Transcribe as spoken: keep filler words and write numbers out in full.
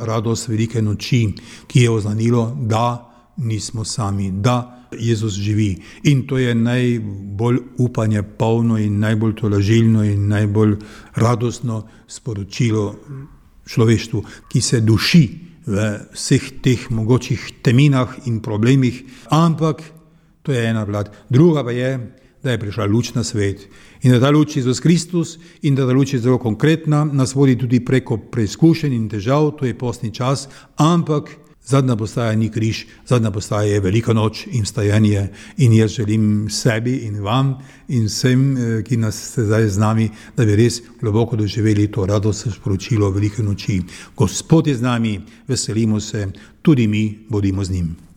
radost velike noči, ki je oznanilo, da nismo sami, da Jezus živi. In to je najbolj upanje polno in najbolj tolažilno in najbolj radostno sporočilo človeštvu, ki se duši v vseh teh mogočih teminah in problemih, ampak to je ena plat. Druga pa je, da je prišla luč na svet in da ta luč je Jezus Kristus in da ta luč je zelo konkretna, nas vodi tudi preko preizkušenj in težav, to je postni čas, ampak zadnja postaja ni križ, zadnja postaja je velika noč in vstajanje in jaz želim sebi in vam in vsem, ki nas ste zdaj z nami, da bi res globoko doživeli to radostno sporočilo velike noči. Gospod je z nami, veselimo se, tudi mi bodimo z njim.